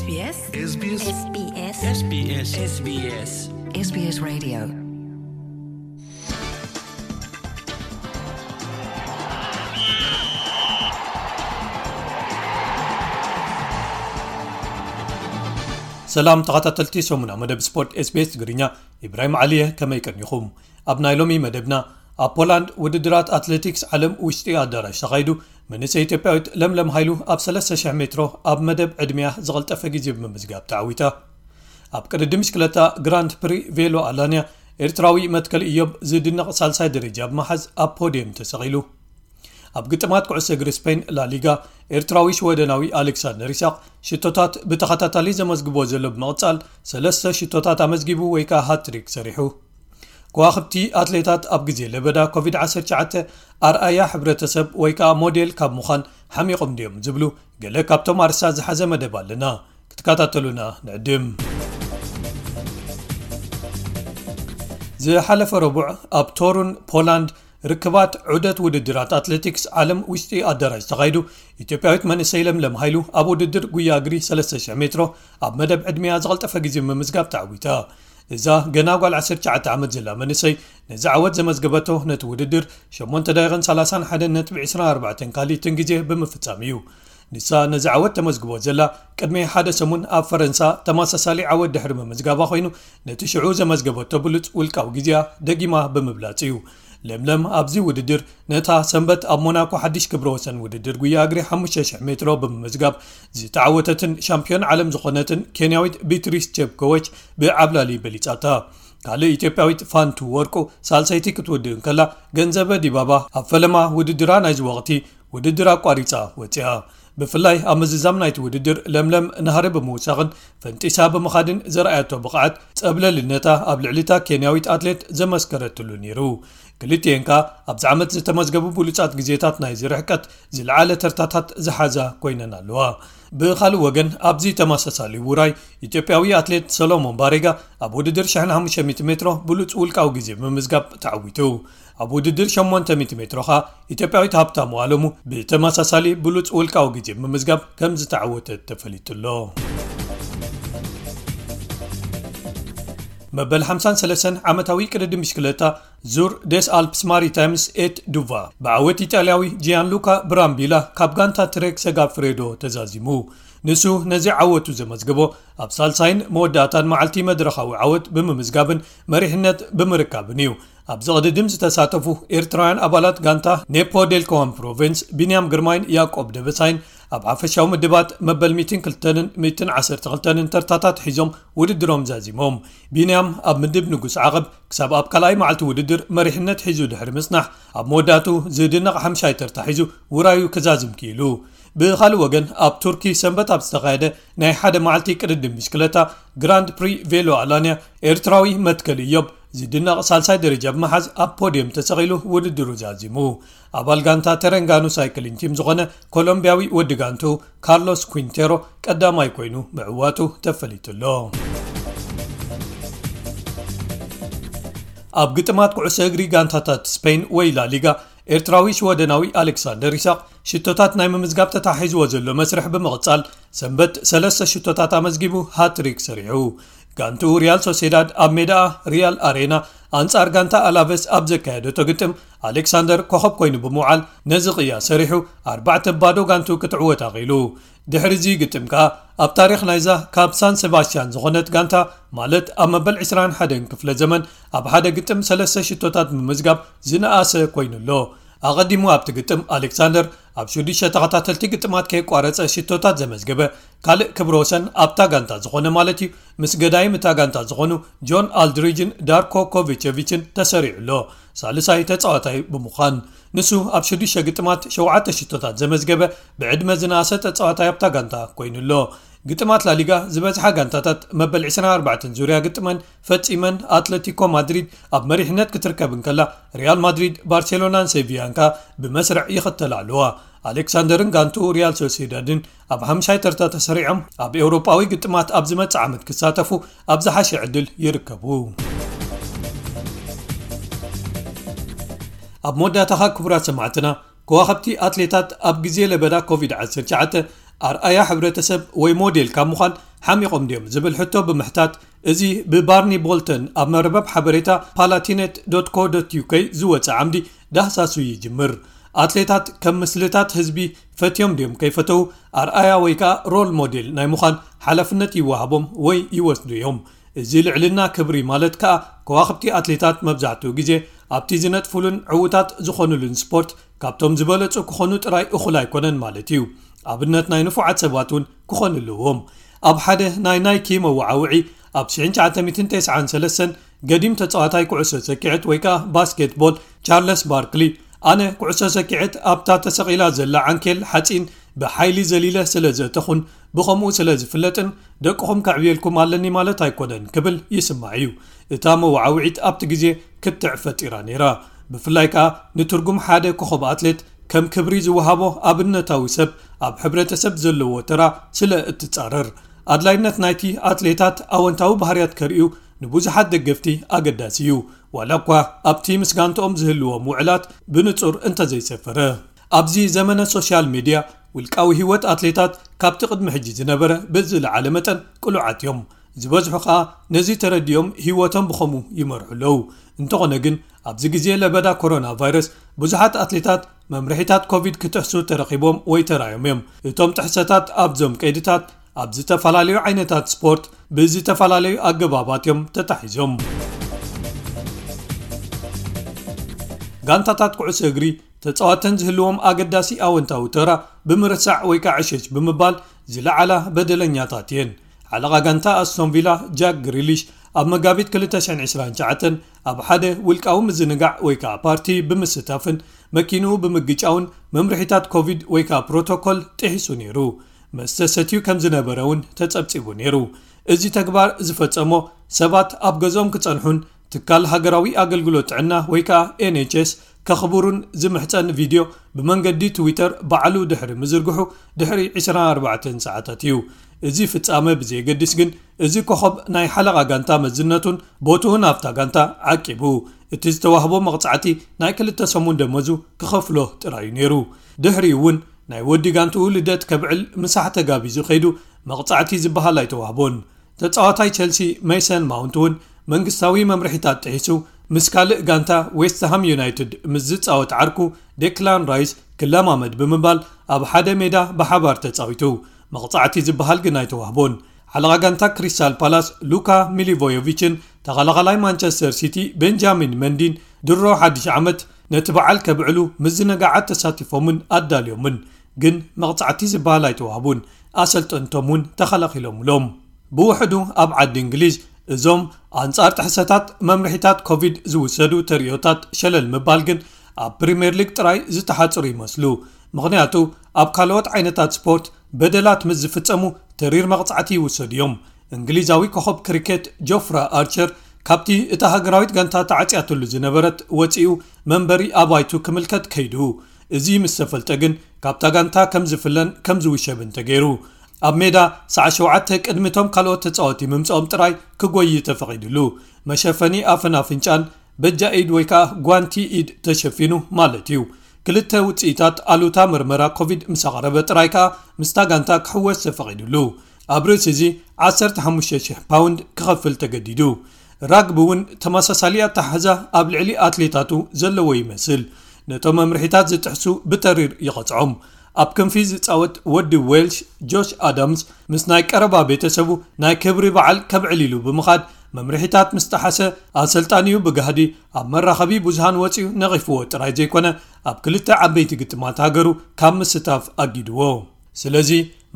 SBS SBS SBS SBS SBS Radio. ሰላም ተኸታተልቲ ሰሙና መደብ ስፖርት SBS ትግርኛ፣ ኢብራሂም ዓሊየ፣ ከመይ ቀኒኹም? ኣብ ናይ ሎሚ መደብና፣ ኣብ ፖላንድ ውድድራት ኣትሌቲክስ ዓለም ውሽጢ ኣዳራሽ ተኻይዱ፣ መንእሰይ ኢትዮጵያዊት ለምለም ሃይሉ ኣብ ሰለስተ ሽሕ ሜትሮ ኣብ መደብ ዕድሚያ ዝቐልጠፈ ግዜ ብምምዝጋብ ተዓዊታ። ኣብ ቅድድም ብሽክለታ ግራንድ ፕሪ ቬሎ ኣላንያ፣ ኤርትራዊ መትከል ኢዮብ ዝድነቕ ሳልሳይ ደረጃ ብምሓዝ ኣብ ፖድየም ተሰቒሉ። ኣብ ግጥማት ኩዕሶ እግሪ ስፔን ላሊጋ፣ ኤርትራዊ ሽወደናዊ ኣሌክሳንደር ኢሳቕ ሽቶታት ብተኸታታሊ ዘመዝግቦ ዘሎ ብምቕጻል፣ ሰለስተ ሽቶታት ኣመዝጊቡ ወይ ከኣ ሃትሪክ ሰሪሑ። ከዋኽብቲ ኣትሌታት ኣብ ግዜ ለበዳ ኮቪድ ዓሰርተ ትሽዓተ ኣርኣያ ሕብረተሰብ ወይ ከኣ ሞዴል ካብ ምዃን ሓሚቖም ድዮም ዝብሉ ገለ ካብቶም ኣርእስታት ዝሓዘ መደብ ኣለና። ክትከታተሉና ንዕድም። ዝሓለፈ ረቡዕ ኣብ ቶሩን ፖላንድ ርክባት ዑደት ውድድራት ኣትሌቲክስ ዓለም ውሽጢ ኣዳራሽ ተኻይዱ፣ ኢትዮጵያዊት መንእሰይ ለምለም ሃይሉ ኣብ ውድድር ጉያ እግሪ ሰለስተ ሽሕ ሜትሮ ኣብ መደብ ዕድሚያ ዝቐልጠፈ ግዜ ምምዝጋብ ተዓዊታ። እዛ ገና ጓል ዓሰርተ ትሽዓተ ዓመት ዘላ መንእሰይ ነዚ ዓወት ዘመዝገበቶ ነቲ ውድድር ሸሞንተ ደቂቕን ሰላሳን ሓደን ነጥቢ ዕስራን ኣርባዕተን ካልኢትን ግዜ ብምፍጻም እዩ። ንሳ ነዚ ዓወት ተመዝግቦ ዘላ ቅድሚ ሓደ ሰሙን ኣብ ፈረንሳ ተመሳሳሊ ዓወት ድሕሪ ምምዝጋባ ኮይኑ፣ ነቲ ሽዑ ዘመዝገበቶ ብሉጽ ውልቃዊ ግዜኣ ደጊማ ብምብላጽ እዩ። ለምለም ኣብዚ ውድድር ነታ ሰንበት ኣብ ሞናኮ ሓድሽ ክብረ ወሰን ውድድር ጉያ እግሪ ሓሙሽተ ሽሕ ሜትሮ ብምምዝጋብ ዝተዓወተትን ሻምፒዮን ዓለም ዝኾነትን ኬንያዊት ቢትሪስ ቼፕኮዎች ብዓብላሊ በሊጻታ። ካልእ ኢትዮጵያዊት ፋንቱ ወርቁ ሳልሰይቲ ክትውድእ እንከላ፣ ገንዘበ ዲባባ ኣብ ፈለማ ውድድራ ናይዚ ወቕቲ ውድድር ኣቋሪጻ ወጺኣ። ብፍላይ ኣብ ምዝዛም ናይቲ ውድድር ለምለም ናህሪ ብምውሳኽን ፈንጢሳ ብምኻድን ዘርኣየቶ ብቕዓት ጸብለልነታ ኣብ ልዕሊታ ኬንያዊት ኣትሌት ዘመስከረትሉ ነይሩ። ክልቲኤን ከኣ ኣብዚ ዓመት ዝተመዝገቡ ብሉጻት ግዜታት ናይዚ ርሕቀት ዝለዓለ ተርታታት ዝሓዛ ኮይነን ኣለዋ። ብኻልእ ወገን ኣብዚ ተመሳሳሊ ውራይ ኢትዮጵያዊ ኣትሌት ሰሎሞን ባሬጋ ኣብ ውድድር ሽሕን ሓሙሽተ ሚእቲ ሜትሮ ብሉጽ ውልቃዊ ግዜ ብምምዝጋብ ተዓዊቱ። ኣብ ውድድር ሸሞንተ ሚእቲ ሜትሮ ኸኣ ኢትዮጵያዊት ሃብታሙ ኣለሙ ብተመሳሳሊ ብሉጽ ውልቃዊ ግዜ ብምምዝጋብ ከም ዝተዓወተት ተፈሊጡ ኣሎ። መበል ሓምሳን ሰለስተን ዓመታዊ ቅድድም ብሽክለታ ዙር ደስ ኣልፕስ ማሪታይምስ ኤት ዱቫ ብዓወት ኢጣልያዊ ጂያንሉካ ብራምቢላ ካብ ጋንታ ትሬክ ሰጋፍሬዶ ተዛዚሙ። ንሱ ነዚ ዓወቱ ዘመዝገቦ ኣብ ሳልሳይን መወዳእታን መዓልቲ መድረኻዊ ዓወት ብምምዝጋብን መሪሕነት ብምርካብን እዩ። ኣብዚ ቅድድም ዝተሳተፉ ኤርትራውያን ኣባላት ጋንታ ኔፖ ዴልኮዋን ፕሮቪንስ ቢንያም ግርማይን ያዕቆብ ደበሳይን ኣብ ሓፈሻዊ ምድባት መበል ሚእትን ክልተን ሚእትን ዓሰርተ ክልተን ተርታታት ሒዞም ውድድሮም ዛዚሞም። ቢንያም ኣብ ምድብ ንጉስ ዓቐብ ክሳብ ኣብ ካልኣይ መዓልቲ ውድድር መሪሕነት ሒዙ ድሕሪ ምጽናሕ፣ ኣብ መወዳእቱ ዝድነቕ ሓምሻይ ተርታ ሒዙ ውራዩ ክዛዝም ክኢሉ። ብኻልእ ወገን፣ ኣብ ቱርኪ ሰንበት ኣብ ዝተኻየደ ናይ ሓደ መዓልቲ ቅድድም ብሽክለታ ግራንድ ፕሪ ቬሎ ኣላንያ፣ ኤርትራዊ መትከል ኢዮብ ዝድነቕ ሳልሳይ ደረጃ ብምሓዝ ኣብ ፖድየም ተሰቒሉ ውድድሩ ዛዚሙ። ኣባል ጋንታ ተረንጋኑ ሳይክሊን ቲም ዝኾነ ኮሎምቢያዊ ወዲ ጋንቱ ካርሎስ ኩንቴሮ ቀዳማይ ኮይኑ ምዕዋቱ ተፈሊጡ ኣሎ። ኣብ ግጥማት ኩዕሶ እግሪ ጋንታታት ስፔን ወይ ላሊጋ፣ ኤርትራዊ ሽወደናዊ ኣሌክሳንደር ኢሳቕ ሽቶታት ናይ ምምዝጋብ ተታሒዝዎ ዘሎ መስርሕ ብምቕጻል፣ ሰንበት ሰለስተ ሽቶታት ኣመዝጊቡ ሃትሪክ ሰሪሑ። ጋንትኡ ሪያል ሶሴዳድ ኣብ ሜዳኣ ሪያል ኣሬና ኣንጻር ጋንታ ኣላቨስ ኣብ ዘካየደቶ ግጥም፣ ኣሌክሳንደር ኮኸብ ኮይኑ ብምውዓል ነዚ ቅያ ሰሪሑ ኣርባዕተ ባዶ ጋንትኡ ክትዕወት ኣኽኢሉ። ድሕሪ እዚ ግጥም ከኣ ኣብ ታሪኽ ናይዛ ካብ ሳን ሴባስቲያን ዝኾነት ጋንታ፣ ማለት ኣብ መበል ዕስራን ሓደን ክፍለ ዘመን ኣብ ሓደ ግጥም ሰለስተ ሽቶታት ብምምዝጋብ ዝነኣሰ ኮይኑ ኣሎ። ኣቐዲሙ ኣብቲ ግጥም ኣሌክሳንደር ኣብ ሽዱሽተ ተኸታተልቲ ግጥማት ከየቋረጸ ሽቶታት ዘመዝገበ ካልእ ክብረ ወሰን ኣብታ ጋንታ ዝኾነ ማለት እዩ፣ ምስ ገዳይም እታ ጋንታ ዝኾኑ ጆን ኣልድሪጅን ዳርኮ ኮቪቸቪችን ተሰሪዑ ኣሎ። ሳልሳይ ተጻዋታይ ብምዃን፣ ንሱ ኣብ ሽዱሽተ ግጥማት ሸውዓተ ሽቶታት ዘመዝገበ ብዕድመ ዝነኣሰ ተጻዋታይ ኣብታ ጋንታ ኮይኑ ኣሎ። ግጥማት ላሊጋ ዝበዝሓ ጋንታታት መበል ዕስራን ኣርባዕተን ዙርያ ግጥመን ፈጺመን፣ ኣትለቲኮ ማድሪድ ኣብ መሪሕነት ክትርከብ እንከላ፣ ሪያል ማድሪድ፣ ባርሴሎናን ሴቪያን ከኣ ብመስርዕ ይኽተላ ኣለዋ። ኣሌክሳንደርን ጋንትኡ ሪያል ሶሲዳድን ኣብ ሓምሻይ ተርታ ተሰሪዖም፣ ኣብ ኤውሮጳዊ ግጥማት ኣብ ዝመጽእ ዓመት ክሳተፉ ኣብ ዝሓሸ ዕድል ይርከቡ። ኣብ መወዳእታኻ ክቡራት ሰማዕትና፣ ከዋኸብቲ ኣትሌታት ኣብ ግዜ ለበዳ ኮቪድ ዓሰርተ ትሽዓተ ኣርኣያ ሕብረተሰብ ወይ ሞዴል ካብ ምዃን ሓሚቖም ድዮም ዝብል ሕቶ ብምሕታት፣ እዚ ብባርኒ ቦልተን ኣብ መርበብ ሓበሬታ ፓላቲኔት ዶት ኮ ዶት ዩ ኬ ዝወጸ ዓምዲ ዳህሳሱ ይጅምር። ኣትሌታት ከም ምስልታት ህዝቢ ፈትዮም ድዮም ከይፈተው ኣርኣያ ወይ ከኣ ሮል ሞዴል ናይ ምዃን ሓላፍነት ይወሃቦም ወይ ይወስዱ እዮም። እዚ ልዕልና ክብሪ ማለት ከኣ ከዋኽብቲ ኣትሌታት መብዛሕትኡ ግዜ ኣብቲ ዝነጥፉሉን ዕዉታት ዝኾኑሉን ስፖርት ካብቶም ዝበለጹ ክኾኑ ጥራይ እኹል ኣይኮነን ማለት እዩ። ኣብነት ናይ ንፉዓት ሰባት እውን ክኾኑ ኣለዎም። ኣብ ሓደ ናይ ናይኪ መወዓውዒ ኣብ ሽሕን ትሽዓተ ሚእትን ተስዓን ሰለስተን ገዲም ተጻዋታይ ኩዕሶ ሰኪዐት ወይ ከኣ ባስኬትቦል ቻርለስ ባርክሊ፣ ኣነ ኩዕሶ ሰኪዐት ኣብታ ተሰቒላ ዘላ ዓንኬል ሓጺን ብሓይሊ ዘሊለ ስለ ዘእተኹን ብኸምኡ ስለ ዝፍለጥን ደቅኹም ከዕብየልኩም ኣለኒ ማለት ኣይኮነን ክብል ይስማዕ እዩ። እታ መወዓውዒት ኣብቲ ግዜ ክትዕ ፈጢራ ነይራ። ብፍላይ ከኣ ንትርጉም ሓደ ኮኸብ ኣትሌት ከም ክብሪ ዝወሃቦ ኣብነታዊ ሰብ ኣብ ሕብረተሰብ ዘለዎ ተራ ስለ እትጻረር። ኣድላይነት ናይቲ ኣትሌታት ኣወንታዊ ባህርያት ከርእዩ ንብዙሓት ደገፍቲ ኣገዳሲ እዩ። ዋላ እኳ ኣብቲ ምስ ጋንትኦም ዝህልዎም ውዕላት ብንጹር እንተዘይሰፈረ። ኣብዚ ዘመነ ሶሻል ሜድያ ውልቃዊ ህይወት ኣትሌታት ካብቲ ቅድሚ ሕጂ ዝነበረ ብዝለዓለ መጠን ቅሉዓት እዮም። ዝበዝሑ ከኣ ነዚ ተረዲኦም ህይወቶም ብኸምኡ ይመርሑ ኣለዉ። እንተኾነ ግን ኣብዚ ግዜ ለበዳ ኮሮና ቫይረስ ብዙሓት ኣትሌታት መምርሒታት ኮቪድ ክጥሕሱ ተረኺቦም ወይ ተራዮም እዮም። እቶም ጥሕሰታት ኣብዞም ቀይድታት ኣብ ዝተፈላለዩ ዓይነታት ስፖርት ብዝተፈላለዩ ኣገባባት እዮም ተታሒዞም። ጋንታታት ኩዕሶ እግሪ ተጻዋተን ዝህልዎም ኣገዳሲ ኣወንታዊ ተራ ብምርሳዕ ወይ ከዓ ዕሸሽ ብምባል ዝለዓላ በደለኛታት እየን። ሓለቓ ጋንታ ኣስቶን ቪላ ጃክ ግሪሊሽ ኣብ መጋቢት ክልተ ሽሕን ዕስራን ትሽዓተን ኣብ ሓደ ውልቃዊ ምዝንጋዕ ወይ ከዓ ፓርቲ ብምስታፍን መኪንኡ ብምግጫውን መምርሒታት ኮቪድ ወይ ከዓ ፕሮቶኮል ጥሒሱ ነይሩ። መስተ ሰትዩ ከም ዝነበረ እውን ተጸብጺቡ ነይሩ። እዚ ተግባር ዝፈጸሞ ሰባት ኣብ ገዝኦም ክጸንሑን ትካል ሃገራዊ ኣገልግሎት ጥዕና ወይ ከዓ ኤን ኤች ኤስ ከኽብሩን ዝምሕጸን ቪድዮ ብመንገዲ ትዊተር ባዕሉ ድሕሪ ምዝርግሑ ድሕሪ ዕስራን ኣርባዕተን ሰዓታት እዩ። እዚ ፍጻመ ብዘየገድስ ግን እዚ ኮኸብ ናይ ሓለቓ ጋንታ መዝነቱን ቦትኡን ኣብታ ጋንታ ዓቂቡ። እቲ ዝተዋህቦ መቕጻዕቲ ናይ ክልተ ሰሙን ደመዙ ክኸፍሎ ጥራዩ ነይሩ። ድሕሪኡ እውን ናይ ወዲ ጋንትኡ ልደት ከብዕል ምሳሕ ተጋቢዙ ከይዱ መቕጻዕቲ ዝበሃል ኣይተዋህቦን። ተጻዋታይ ቸልሲ ሜሰን ማውንት እውን መንግስታዊ መምርሒታት ጥሒሱ ምስ ካልእ ጋንታ ዌስትሃም ዩናይትድ ምስ ዝጻወት ዓርኩ ዴክላን ራይስ ክለማመድ ብምባል ኣብ ሓደ ሜዳ ብሓባር ተጻዊቱ። መቕጻዕቲ ዝበሃል ግን ኣይተዋህቦን። ሓለቓ ጋንታ ክሪስታል ፓላስ ሉካ ሚሊቮዮቪችን ተኸላኻላይ ማንቸስተር ሲቲ ቤንጃሚን መንዲን ድሮ ሓድሽ ዓመት ነቲ በዓል ከብዕሉ ምዝንጋዓት ተሳቲፎምን ኣዳልዮምን፣ ግን መቕጻዕቲ ዝበሃል ኣይተዋህቡን። ኣሰልጠንቶም እውን ተኸላኺሎምሎም። ብውሕዱ ኣብ ዓዲ እንግሊዝ እዞም ኣንጻር ጥሕሰታት መምርሒታት ኮቪድ ዝውሰዱ ተርእዮታት ሸለል ምባል ግን ኣብ ፕሪምየር ሊግ ጥራይ ዝተሓጽሩ ይመስሉ። ምኽንያቱ ኣብ ካልኦት ዓይነታት ስፖርት በደላት ምስ ዝፍጸሙ ተሪር መቕጻዕቲ ይውሰዱ እዮም። እንግሊዛዊ ኮኸብ ክሪኬት ጆፍራ ኣርቸር ካብቲ እታ ሃገራዊት ጋንታ ተዓጽያትሉ ዝነበረት ወጺኡ መንበሪ ኣባይቱ ክምልከት ከይዱ። እዚ ምስ ተፈልጠ ግን ካብታ ጋንታ ከም ዝፍለን ከም ዝውሸብን ተገይሩ። ኣብ ሜዳ ሰዓት ሸውዓተ ቅድሚቶም ካልኦት ተጻወቲ ምምጽኦም ጥራይ ክጎይ ተፈቒድሉ። መሸፈኒ ኣፍን ኣፍንጫን በጃ ኢድ ወይ ከዓ ጓንቲ ኢድ ተሸፊኑ ማለት እዩ። ክልተ ውጽኢታት ኣሉታ መርመራ ኮቪድ ምስ ኣቕረበ ጥራይ ከዓ ምስታ ጋንታ ክሕወስ ተፈቒድሉ። ኣብ ርእሲ እዚ ዓሰርተ ሓሙሽተ ሽሕ ፓውንድ ክኸፍል ተገዲዱ። ራግቢ እውን ተመሳሳሊ ኣተሓሕዛ ኣብ ልዕሊ ኣትሌታቱ ዘለዎ ይመስል። ነቶም መምርሒታት ዝጥሕሱ ብተሪር ይቐጽዖም። ኣብ ክንፊ ዝጻወት ወዲ ዌልሽ ጆሽ ኣዳምስ ምስ ናይ ቀረባ ቤተሰቡ ናይ ክብሪ በዓል ከብዕል ኢሉ ብምኻድ መምርሒታት ምስ ጠሓሰ ኣሰልጣኒኡ ብጋህዲ ኣብ መራኸቢ ብዙሃን ወጺኡ ነቒፍዎ ጥራይ ዘይኮነ ኣብ ክልተ ዓበይቲ ግጥማት ሃገሩ ካብ ምስታፍ ኣጊድዎ። ስለዚ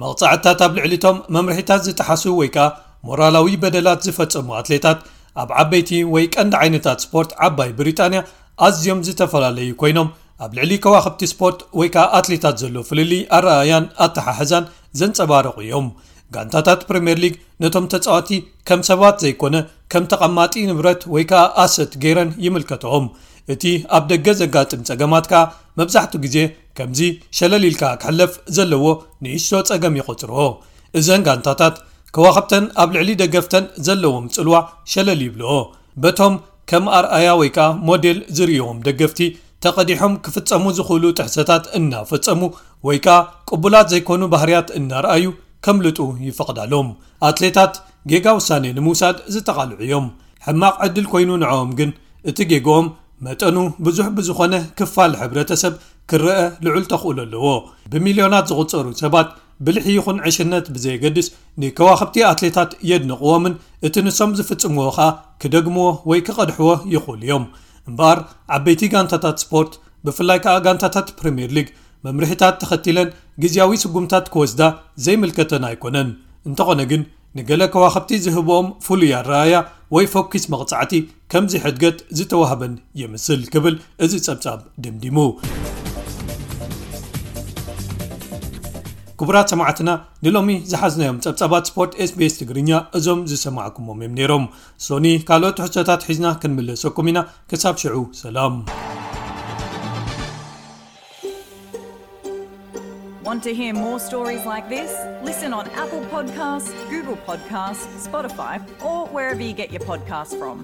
መቕጻዕትታት ኣብ ልዕሊቶም መምርሒታት ዝጠሓሱ ወይ ከኣ ሞራላዊ በደላት ዝፈጸሙ ኣትሌታት ኣብ ዓበይቲ ወይ ቀንዲ ዓይነታት ስፖርት ዓባይ ብሪጣንያ ኣዝዮም ዝተፈላለዩ ኮይኖም ኣብ ልዕሊ ከዋኽብቲ ስፖርት ወይ ከኣ ኣትሌታት ዘሎ ፍልልይ ኣረኣያን ኣተሓሕዛን ዘንጸባረቑ እዮም። ጋንታታት ፕሪምየር ሊግ ነቶም ተጻዋቲ ከም ሰባት ዘይኮነ ከም ተቐማጢ ንብረት ወይ ከኣ ኣሰት ገይረን ይምልከትኦም። እቲ ኣብ ደገ ዘጋጥም ጸገማት ከኣ መብዛሕትኡ ግዜ ከምዚ ሸለል ኢልካ ክሕለፍ ዘለዎ ንእሽቶ ጸገም ይቖጽርዎ። እዘን ጋንታታት ከዋኽብተን ኣብ ልዕሊ ደገፍተን ዘለዎም ጽልዋ ሸለል ይብልኦ። በቶም ከም ኣርኣያ ወይ ከኣ ሞዴል ዝርእይዎም ደገፍቲ ተቐዲሖም ክፍጸሙ ዝኽእሉ ጥሕሰታት እናፈጸሙ ወይ ከኣ ቅቡላት ዘይኮኑ ባህርያት እናረኣዩ ከምልጡ ይፈቕዳሎም። ኣትሌታት ጌጋ ውሳኔ ንምውሳድ ዝተቓልዑ እዮም። ሕማቕ ዕድል ኮይኑ ንዕኦም ግን እቲ ጌግኦም መጠኑ ብዙሕ ብዝኾነ ክፋል ሕብረተሰብ ክረአ ልዑል ተኽእሎ ኣለዎ። ብሚልዮናት ዝቑጸሩ ሰባት ብልሒ ይኹን ዕሽነት ብዘየገድስ ንከዋኽብቲ ኣትሌታት የድንቕዎምን እቲ ንሶም ዝፍጽምዎ ኸኣ ክደግምዎ ወይ ክቐድሕዎ ይኽእሉ እዮም። እምበኣር ዓበይቲ ጋንታታት ስፖርት ብፍላይ ከኣ ጋንታታት ፕሪምየር ሊግ መምርሒታት ተኸቲለን ግዝያዊ ስጉምታት ክወስዳ ዘይምልከተን ኣይኮነን። እንተኾነ ግን ንገለ ከዋኽብቲ ዝህብኦም ፍሉይ ኣረኣያ ወይ ፈኲስ መቕጻዕቲ ከምዚ ሕድገት ዝተዋህበን ይምስል ክብል እዚ ጸብጻብ ደምዲሙ። ክቡራት ሰማዕትና ንሎሚ ዝሓዝናዮም ጸብጻባት ስፖርት ኤስቢኤስ ትግርኛ እዞም ዝሰማዕኩሞም እዮም ነይሮም። ሶኒ ካልኦት ትሕዝቶታት ሒዝና ክንምለሰኩም ኢና። ክሳብ ሽዑ ሰላም። Want to hear more stories like this? Listen on Apple Podcasts, Google Podcasts, Spotify, or wherever you get your podcasts from.